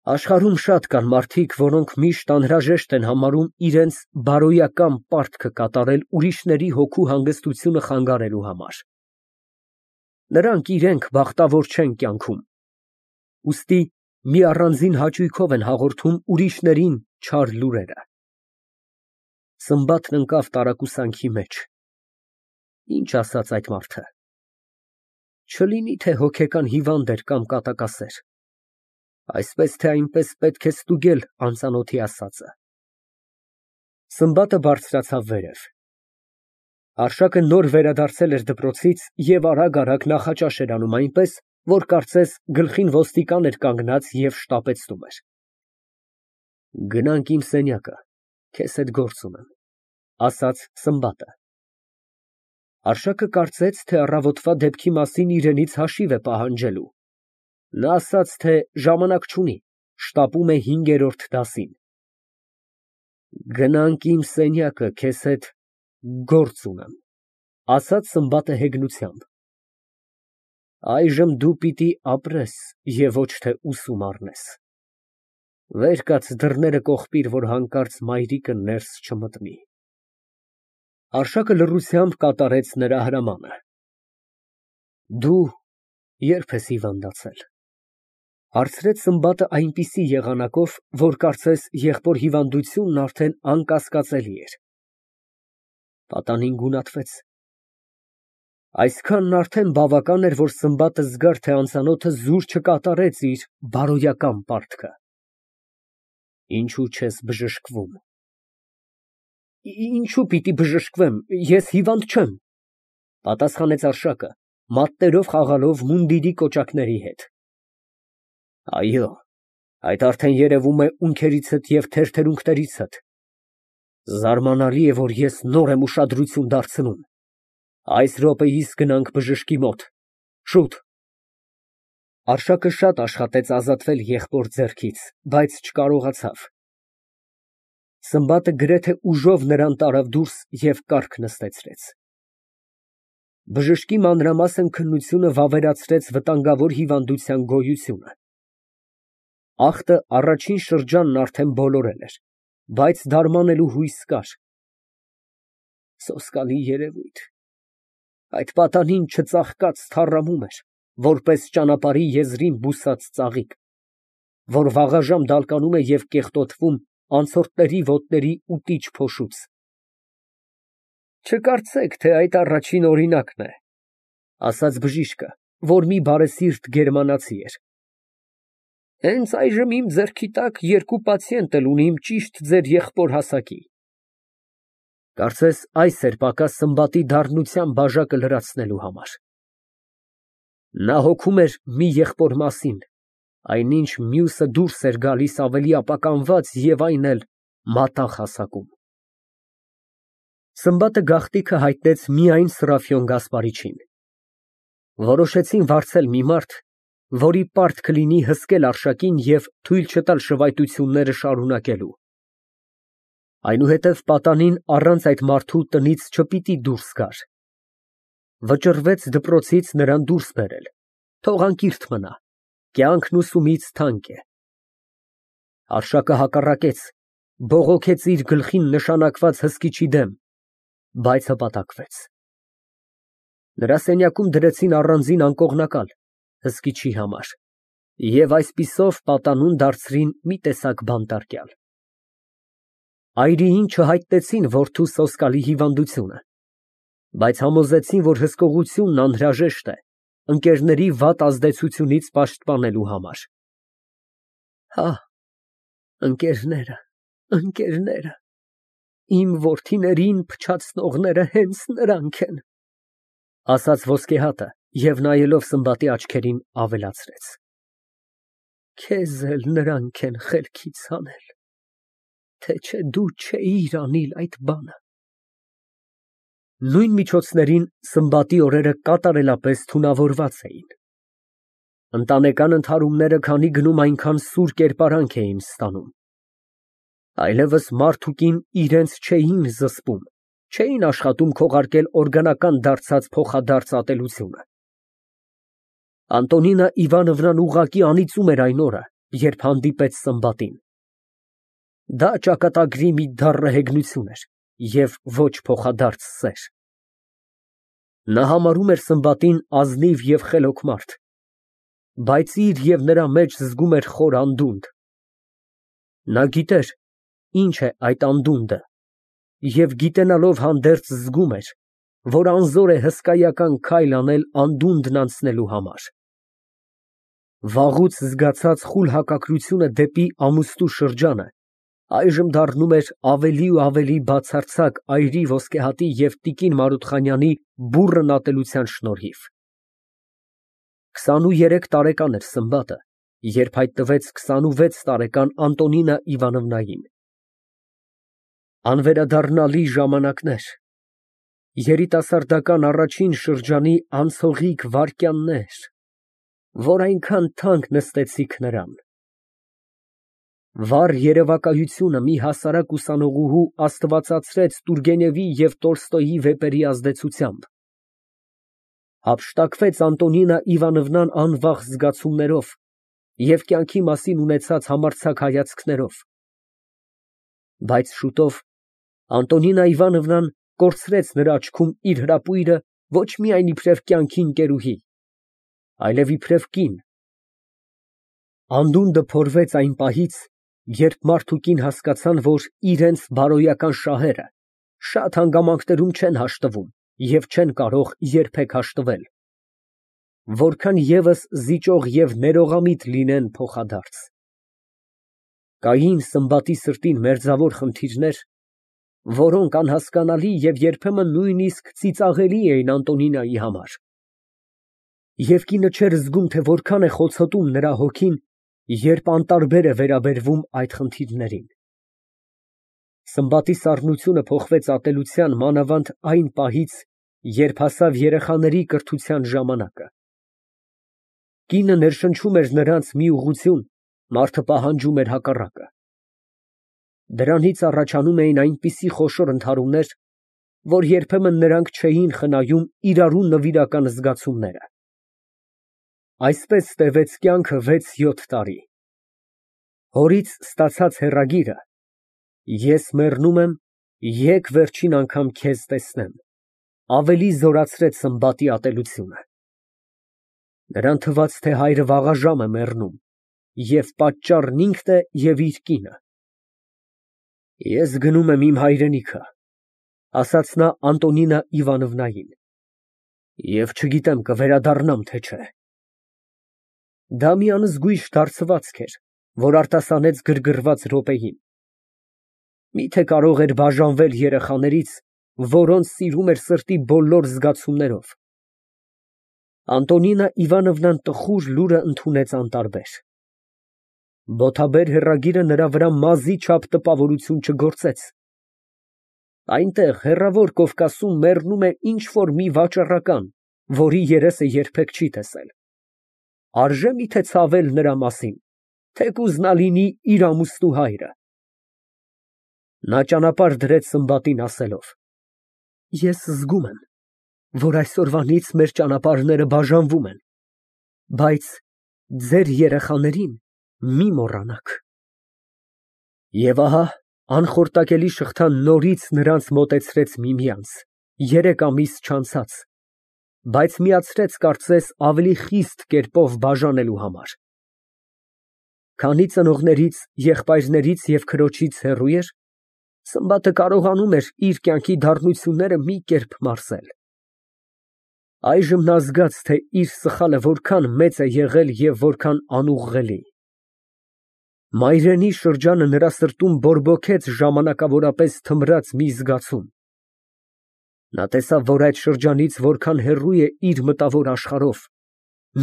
Աշխարհում շատ կան մարդիկ, որոնք միշտ անհրաժեշտ են համարում իրենց բարոյական պարտքը կատարել ուրիշների հոգու հանգստությունը խանգարելու համար։ Նրանք իրենք բախտավոր չեն կյանքում, ուստի մի առանձին հաճույքով են հաղորդում ուրիշներին չար լուրերը։ Սմբատն ընկավ տարակուսանքի մեջ։ Ինչ ասաց այդ մարդը։ Չլինի թե հոգեկան հիվանդ էր կամ կատակասեր։ Այսպես թե այնպես պետք է ստուգել անծանոթի ասածը։ Սմբատը բարձրացավ վերև։ Արշակը նոր վերադարձել էր դպրոցից և արագ նախաճաշ էր անում այնպես, որ կարծես գլխին ոստիկան էր կանգնած և շտապեցնում էր։ Գնանք իմ սենյակը, քեզ հետ գործ ունեմ, ասաց Սմբատը։ Արշակը կարծեց, թե առավոտվա դեպքի մասին իրենից հաշիվ է պահանջելու։ Նա ասաց, թե ժամանակ չունի, շտապում է 5-րդ դասին։ Գնանք իմ սենյակը, քեզ հետ գործ ունեմ, ասաց Սմբատը հեգնությամբ։ Այժմ դու պիտի ապրես և ոչ թե ուսում առնես։ Վեր կաց, դռները կողպիր, որ հանկարծ մայրիկը ներս չմտնի։ Արշակը լռությամբ կատարեց նրա հրամանը։ Դու ե՞րբ ես հիվանդացել, հարցրեց Սմբատը այնպիսի եղանակով, որ կարծես եղբոր հիվանդությունն արդեն անկասկածելի էր։ Պատանին գունատվեց։ Այսքանն արդեն բավական էր, որ Սմբատը զգար, թե անծանոթը զուր չկատարեց իր բարոյական պարտքը։ Ինչո՞ւ չես բժշկվում։ Ինչո՞ւ պիտի բժշկվեմ, ես հիվանդ չեմ, պատասխանեց Արշակը, մատներով խաղալով մունդիրի կոճակների հետ։ Այո, այդ արդեն երևում է ունքերիցդ և թերթերունքներիցդ։ Զարմանալի է, որ ես նոր եմ ուշադրություն դարձնում։ Այս րոպեիս գնանք բժշկի մոտ, շուտ։ Արշակը շատ աշխատեց ազատվել եղբոր ձեռքից, բայց չկարողացավ։ Սմբատը գրեթե ուժով նրան տարավ դուրս և կառք նստեցրեց։ Բժշկի մանրամասն քննությունը վավերացրեց վտանգավոր հիվանդության գոյությունը։ Ախտը առաջին շրջանն արդեն բոլորել էր, բայց դարմանելու հույս կար։ Սոսկալի երևույթ։ Այդ պատանին չծաղկած թառամում էր, որպես ճանապարհի եզրին բուսած ծաղիկ, որ վաղաժամ դալկանում է և կեղտոտվում անցորդների ոտների ուտիչ փոշուց։ Չկարծեք, թե այդ առաջին օրինակն է, ասաց բժիշկը, որ մի բարեսիրտ գերմանացի էր։ Հենց այժմ իմ ձեռքի տակ 2 պացիենտ էլ ունիմ ճիշտ ձեր եղբոր հասակի։ Կարծես այս էր պակաս Սմբատի դառնության բաժակը լրացնելու համար։ Նա հոգում էր մի եղբոր մասին, այնինչ մյուսը դուրս էր գալիս ավելի ապականված և այն էլ մատաղ հասակում։ Սմբատը գաղտնիքը հայտնեց միայն Սրափիոն Գասպարիչին։ Որոշեցին վարձել մի մարդ, որի պարտք կլինի հսկել Արշակին և թույլ չտալ շվայտությունները շարունակելու։ Այնուհետև պատանին առանց այդ մարդու տնից չպիտի դուրս գար։ Վճռվեց դպրոցից նրան դուրս բերել, թող անկիրթ մնա, կյանքն ուսումից թանկ է։ Արշակը հակառակեց, բողոքեց իր գլխին նշանակված հսկիչի դեմ, բայց հպատակվեց։ Նրա սենյակում դրեցին առանձին անկողնակալ հսկիչի համար և այսպիսով պատանուն դարձրին մի տեսակ բանտարկյալ։ Այրիին չհայտնեցին որդու սոսկալի հիվանդությունը, բայց համոզեցին, որ հսկողությունն անհրաժեշտ է ընկերների վատ ազդեցությունից պաշտպանելու համար։ Հա, ընկերները, իմ որդիներին փչացնողները հենց նրանք են, ասաց ոսկեհատը և նայելով Սմբատի աչքերին ավելացրեց. Քեզ էլ նրանք են խելքից հանել, թե չէ դու չէիր անիլ այդ բանը։ Նույն միջոցներին Սմբատի օրերը կատարելապես թունավորված էին։ Ընտանեկան ընդհարումները քանի գնում այնքան սուր կերպարանք էին ստանում։ Այլևս մարդ ու կին իրենց չէին զսպում, չէին աշխատում քողարկել օրգանական դարձած փոխադարձ ատելությունը։ Անտոնինա Իվանովնան ուղղակի անիծում էր այն օրը, երբ հանդիպեց Սմբատին։ Դա ճակատագրի մի դառն հեգնություն էր և ոչ փոխադարձ սեր։ Նա համարում էր Սմբատին ազնիվ և խելոք մարդ, բայց իր և նրա մեջ զգում էր խոր անդունդ։ Նա գիտեր ինչ է այդ անդունդը և գիտենալով հանդերձ զգում էր, որ անզոր է հսկայական քայլ անել անդունդն անցնելու համար։ Վաղուց զգացած խուլ հակակրությունը դեպի ամուստու շրջանը այժմ դառնում էր ավելի ու ավելի բացարձակ այրի ոսկեհատի և տիկին Մարութխանյանի բուռն ատելության շնորհիվ։ 23 տարեկան էր Սմբատը, երբ հայտնվեց 26 տարեկան Անտոնինա Իվանովնային։ Անվերադառնալի ժամանակներ, երիտասարդական առաջին շրջանի անցողիկ վայրկյաններ, որ այնքան թանկ նստեցիք նրան։ Վառ երևակայությունը մի հասարակ ուսանողուհու աստվածացրեց Տուրգենևի և Տոլստոյի վեպերի ազդեցությամբ, հափշտակվեց Անտոնինա Իվանովնան անվախ զգացումներով և կյանքի մասին ունեցած համարձակ հայացքներով, բայց շուտով Անտոնինա Իվանովնան կորցրեց նրա աչքում իր հրապույրը ոչ միայն իբրև կյանքի ընկերուհի, այլև իբրև կին։ Անդունդը փորվեց այն պահից, երբ մարդ ու կին հասկացան, որ իրենց բարոյական շահերը շատ հանգամանքներում չեն հաշտվում և չեն կարող երբեք հաշտվել, որքան ևս զիջող և ներողամիտ լինեն փոխադարձ։ Կային Սմբատի սրտին մերձավոր խնդիրներ, որոնք անհասկանալի և երբեմն նույնիսկ ծիծաղելի էին Անտոնինայի համար, և կինը չէր զգում, թե որքան է խոցոտում նրա հոգին, երբ անտարբեր է վերաբերվում այդ խնդիրներին։ Սմբատի սառնությունը փոխվեց ատելության մանավանդ այն պահից, երբ հասավ երեխաների կրթության ժամանակը։ Կինը ներշնչում էր նրանց մի ուղղություն, մարդը պահանջում էր հակառակը։ Դրանից առաջանում էին այնպիսի խոշոր ընդհարումներ, որ երբեմն նրանք չէին խնայում իրարու նվիրական զգացումները։ Այսպես տևեց կյանքը 6-7 տարի։ Հորից ստացած հեռագիրը «Ես մեռնում եմ, եկ վերջին անգամ քեզ տեսնեմ» ավելի զորացրեց Սմբատի ատելությունը։ Նրան թվաց, թե հայրը վաղաժամ է մեռնում, և պատճառն ինքն է և իր կինը։ «Ես գնում եմ իմ հայրենիքը», ֊ ասաց նա Անտոնինա Իվանովնային, «և չգիտեմ կվերադառնամ, թե չէ»։ Դա մի անզգույշ դարձվածք էր, որ արտասանեց գրգռված րոպեին։ Մի՞թե կարող էր բաժանվել երեխաներից, որոնց սիրում էր սրտի բոլոր զգացումներով։ Անտոնինա Իվանովնան տխուր լուրը ընդունեց անտարբեր։ Բոթաբեր հեռագիրը նրա վրա մազի չափ տպավորություն չգործեց։ Այնտեղ, հեռավոր Կովկասում, մեռնում է ինչ֊որ մի վաճառական, որի երեսը երբեք չի տեսել։ Արժե՞ միթե ցավել նրա մասին, թեկուզ նա լինի իր ամուսնու հայրը։ Նա ճանապարհ դրեց Սմբատին ասելով. «Ես զգում եմ, որ այսօրվանից մեր ճանապարհները բաժանվում են, բայց ձեր երեխաներին մի մոռանաք»։ Եվ ահա անխորտակելի շղթան նորից նրանց մոտեցրեց միմյանց, 3 ամիս չանցած, բայց միացրեց, կարծես, ավելի խիստ կերպով բաժանելու համար։ Քանի ծնողներից, եղբայրներից և քրոջից հեռու էր, Սմբատը կարողանում էր իր կյանքի դառնությունները մի կերպ մարսել։ Այժմ նա զգաց, թե իր սխալը որքան մեծ է եղել և որքան անուղղելի։ Մայրենի շրջանը նրա սրտում բորբոքեց ժամանակավորապես թմրած մի զգացում։ Նա տեսավ, որ այդ շրջանից որքան հեռու է իր մտավոր աշխարհով,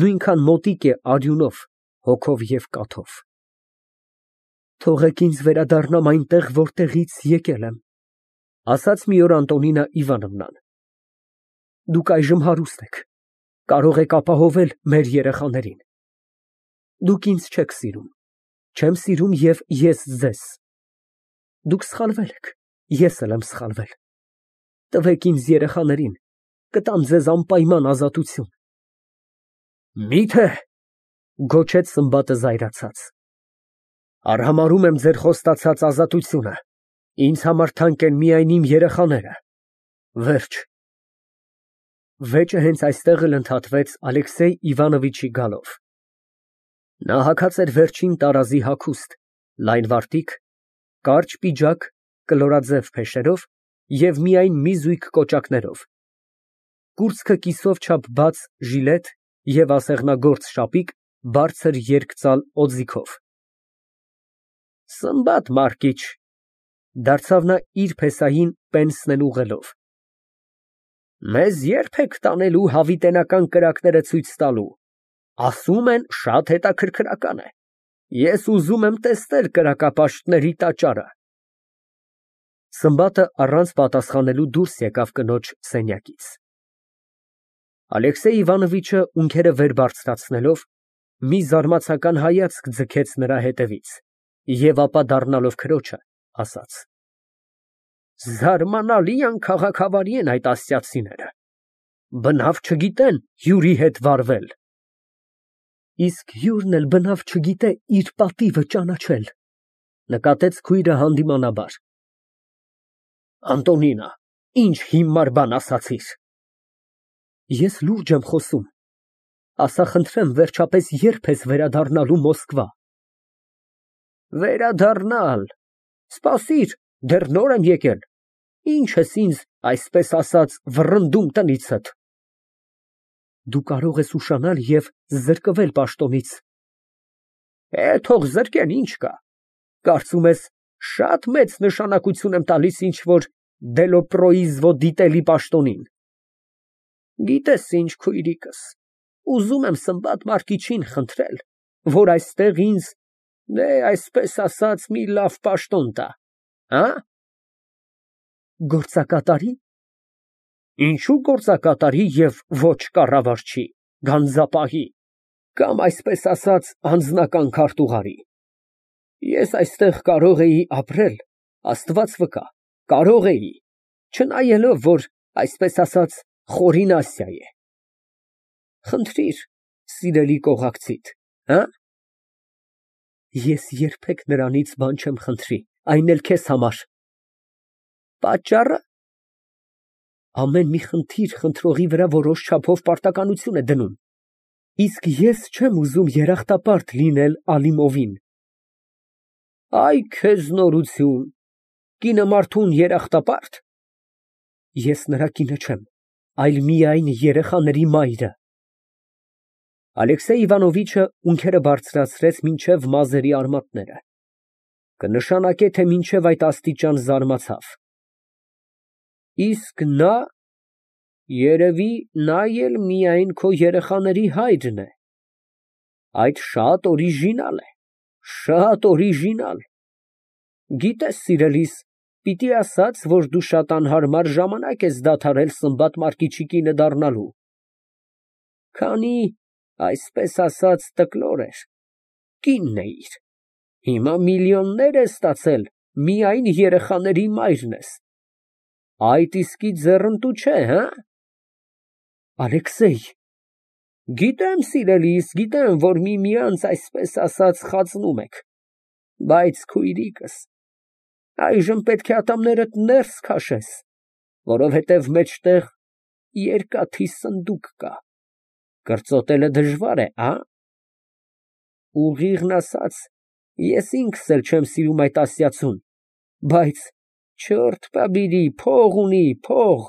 նույնքան մոտիկ է արյունով, հոգով և կաթով։ «Թողեք ինձ վերադառնամ այնտեղ, որտեղից եկել եմ», ֊ ասաց մի օր Անտոնինա Իվանովնան։ «Դուք այժմ հարուստ եք, կարող եք ապահովել մեր երեխաներին։ Դուք ինձ չեք սիրում, չեմ սիրում և ես ձեզ։ Դուք սխալվել եք, ես էլ եմ սխալվել։ Տվեք ինձ երեխաներին, կտամ ձեզ անպայման ազատություն»։ «Մի՞թե», ֊ գոչեց Սմբատը զայրացած։ Արհամարհում եմ ձեր խոստացած ազատությունը, ինձ համար թանկ են միայն իմ երեխաները։ Վերջ։ Վեճը հենց այստեղ էլ ընդհատվեց Ալեքսեյ Իվանովիչի գալով։ Նա հագած էր վերջին տարազի հագուստ, լայն վարտիք, կարճ պիջակ կլորաձև փեշերով և միայն մի զույգ կոճակներով, կուրծքը կիսով չափ բաց ժիլետ և ասեղնագործ շապիկ բարձր երկծալ օձիքով։ Սմբատ Մարկիչ, դարձավ նա իր փեսային պենսն ուղղելով, մեզ ե՞րբ եք տանելու հավիտենական կրակները ցույց տալու, ասում են շատ հետաքրքրական է, ես ուզում եմ տեսնել կրակապաշտների տաճարը։ Սմբատը առանց պատասխանելու դուրս եկավ կնոջ սենյակից։ Ալեքսեյ Իվանովիչը ունքերը վեր բարձրացնելով, մի զարմացական հայացք ձգեց նրա ետևից և ապա դառնալով քրոջը, ասաց. Զարմանալի անքաղաքավարի են այդ ասիացիները, բնավ չգիտեն հյուրի հետ վարվել։ Իսկ հյուրն էլ բնավ չգիտե իր պատիվը ճանաչել, նկատեց քույրը հանդիմանաբար։ Անտոնինա, ինչ հիմար բան ասացիր։ Ես լուրջ եմ խոսում, ասա խնդրեմ, վերջապես ե՞րբ ես վերադառնալու Մոսկվա։ Վերադառնալ, սպասիր, դեռ նոր եմ եկել, ինչ ես ինձ, այսպես ասած, վռնդում տնիցդ։ Դու կարող ես ուշանալ և զրկվել պաշտոնից։ Թող զրկեն, ինչ կա, կարծում ես, շատ մեծ նշանակություն եմ տալիս ինչ֊որ դելոպրոիզվո դիտելի պաշտոնին։ Գիտես ինչ, քույրիկս, ուզում եմ Սմբատ Մարկիչին խնդրել, որ այստեղ ինձ, այսպես ասած, մի լավ պաշտոն տա, հա։ Գործակատարի։ Ինչու գործակատարի և ոչ կառավարչի, գանձապահի, կամ այսպես ասած, անձնական քարտուղարի։ Ես այստեղ կարող էի ապրել, Աստված վկա, կարող էի, չնայելով, որ, այսպես ասած, խորին Ասիա է։ Խնդրիր, սիրելի կողակցիդ, հա։ Ես երբեք նրանից բան չեմ խնդրի, այն էլ քեզ համար։ Պատճառը։ Ամեն մի խնդիր խնդրողի վրա որոշ չափով պարտականություն է դնում, իսկ ես չեմ ուզում երախտապարտ լինել Ալիմովին։ Այ քեզ նորություն, կինը մարդուն երախտապա՞րտ։ Ես նրա կինը չեմ, այլ միայն երեխաների մայրը։ Ալեքսեյ Իվանովիչը ունքերը բարձրացրեց մինչև մազերի արմատները, կնշանակե, թե մինչև այդ աստիճան զարմացավ։ Իսկ նա, երևի, նա էլ միայն քո երեխաների հայրն է։ Այդ շատ օրիժինալ է, շատ օրիժինալ։ Գիտես, սիրելիս, պիտի ասած, որ դու շատ անհարմար ժամանակ ես դադարել Սմբատ Մարկիչի կինը դառնալու։ Քանի, այսպես ասած, տկլոր էր, կինն էիր, հիմա միլիոններ ես ստացել, միայն երեխաների մայրն ես։ Այդ իսկի ձեռնտու չէ, հը։ Ալեքսեյ։ Գիտեմ, սիրելիս, գիտեմ, որ միմյանց, այսպես ասած, խածնում եք, բայց քույրիկս, այժմ պետք է ատամներդ ներս քաշես, որովհետև մեջտեղ երկաթի սնդուկ կա, կրծոտելը դժվար է, հա։ Ուղիղն ասած, ես ինքս էլ չեմ սիրում այդ ասիացուն, բայց չորդ պաբիրի, փող ունի, փող,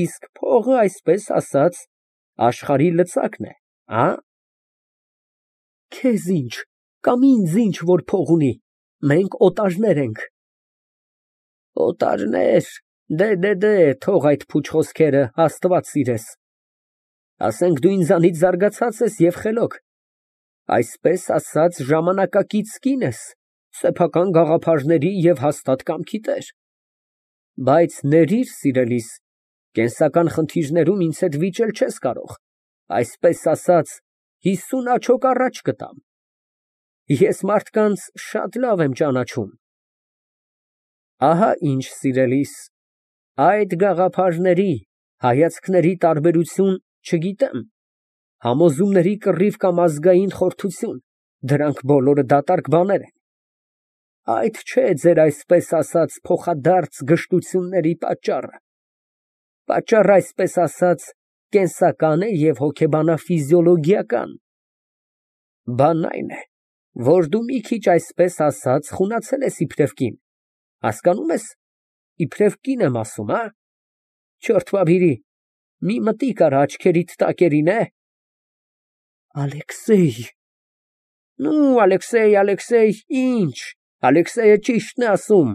իսկ փողը, այսպես ասած, աշխարհի լծակն է, հա։ Քեզ ինչ, կամ ինձ ինչ, որ փող ունի, մենք օտարներ ենք։ Օտարներ, դե, թող այդ փուչ խոսքերը, Աստված սիրես։ Ասենք դու ինձանից զարգացած ես և խելոք, այսպես ասած, ժամանակակից կին ես, սեփական գաղափարների և հաստատ կամքի տեր։ Բայց ներիր, սիրելիս, կենսական խնդիրներում ինձ հետ վիճել չես կարող, այսպես ասած, 50 աջոկ առաջ կտամ։ Ես մարդկանց շատ լավ եմ ճանաչում։ Ահա ինչ, սիրելիս, այդ գաղափարների, հայացքների տարբերություն չգիտեմ, համոզումների կռիվ կամ ազգային խորթություն, դրանք բոլորը դատարկ բաներ են, Այդ չէ ձեր այսպես ասած փոխադարձ գժտությունների պատճառը։ Պատճառը այսպես ասած կենսական է և հոգեբանա֊ֆիզիոլոգիական։ Բանն այն է, որ դու մի քիչ այսպես ասած խունացել ես իբրև կին, հասկանում ես, իբրև կին եմ ասում, հա։ Չորդ բաբիրի, մի մտիկ արա աչքերիդ տակերին, Ալեքսեյ։ Ալեքսեյ, ինչ։ Ալեքսեյը ճիշտն է ասում,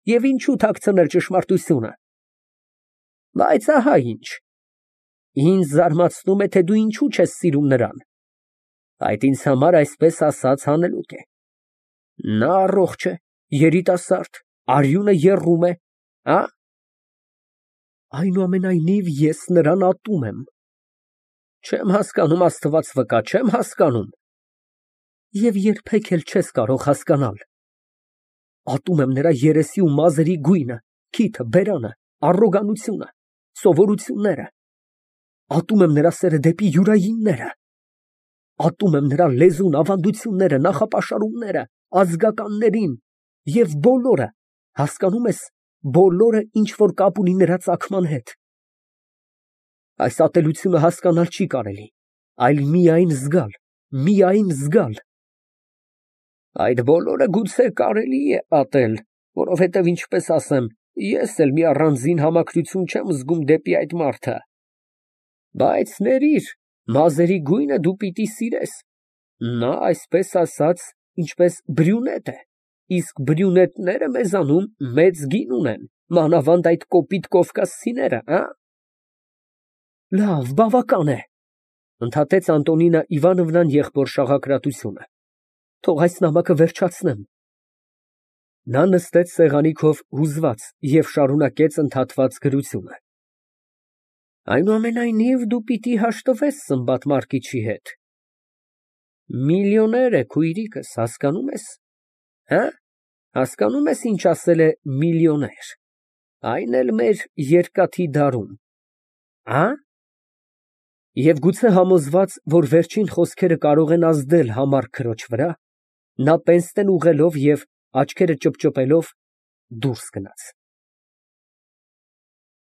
և ինչու թաքցնել ճշմարտությունը։ Բայց ահա ինչ. ինձ զարմացնում է, թե դու ինչու չես սիրում նրան։ Այդ ինձ համար այսպես ասած հանելուկ է։ Նա առողջ է, երիտասարդ, արյունը եռում է, հա։ Այնուամենայնիվ ես նրան ատում եմ։ Չեմ հասկանում, Աստված վկա, չեմ հասկանում։ Եվ երբեք էլ չես կարող հասկանալ։ Ատում եմ նրա երեսի ու մազերի գույնը, քիթը, բերանը, առոգանությունը, սովորությունները։ Ատում եմ նրա սերը դեպի յուրայինները։ Ատում եմ նրա լեզուն, ավանդությունները, նախապաշարումները, ազգականներին և բոլորը, հասկանում ես, բոլորը, ինչ որ կապ ունի նրա ծագման հետ։ Այս ատելությունը հասկանալ չի կարելի, այլ միայն զգալ, միայն զգալ։ Այդ բոլորը գուցե կարելի է ատել, որովհետև, ինչպես ասեմ, ես էլ մի առանձին համակրություն չեմ զգում դեպի այդ մարդը։ Բայց ներիր, մազերի գույնը դու պիտի սիրես։ Նա, այսպես ասած, ինչպես բրյունետ է, իսկ բրյունետները մեզանում մեծ գին ունեն, մանավանդ այդ կոպիտ կովկասցիները, հա։ Լավ, բավական է, ընդհատեց Անտոնինա Իվանովնան եղբոր շաղակրատությունը։ Թող այս նամակը վերջացնեմ։ Նա նստեց սեղանի քով հուզված և շարունակեց ընդհատված գրությունը։ Այնուամենայնիվ դու պիտի հաշտվես Սմբատ Մարկիչի հետ։ Միլիոներ է քույրիկս, հասկանում ես, հա։ Հասկանում ես, ինչ ասել է միլիոներ, այն էլ մեր երկաթի դարում, հա։ Եվ գուցե համոզված, որ վերջին խոսքերը կարող են ազդել համառ քրոջ վրա, նա պենսնեն ուղղելով և աչքերը ճպճպելով դուրս գնաց։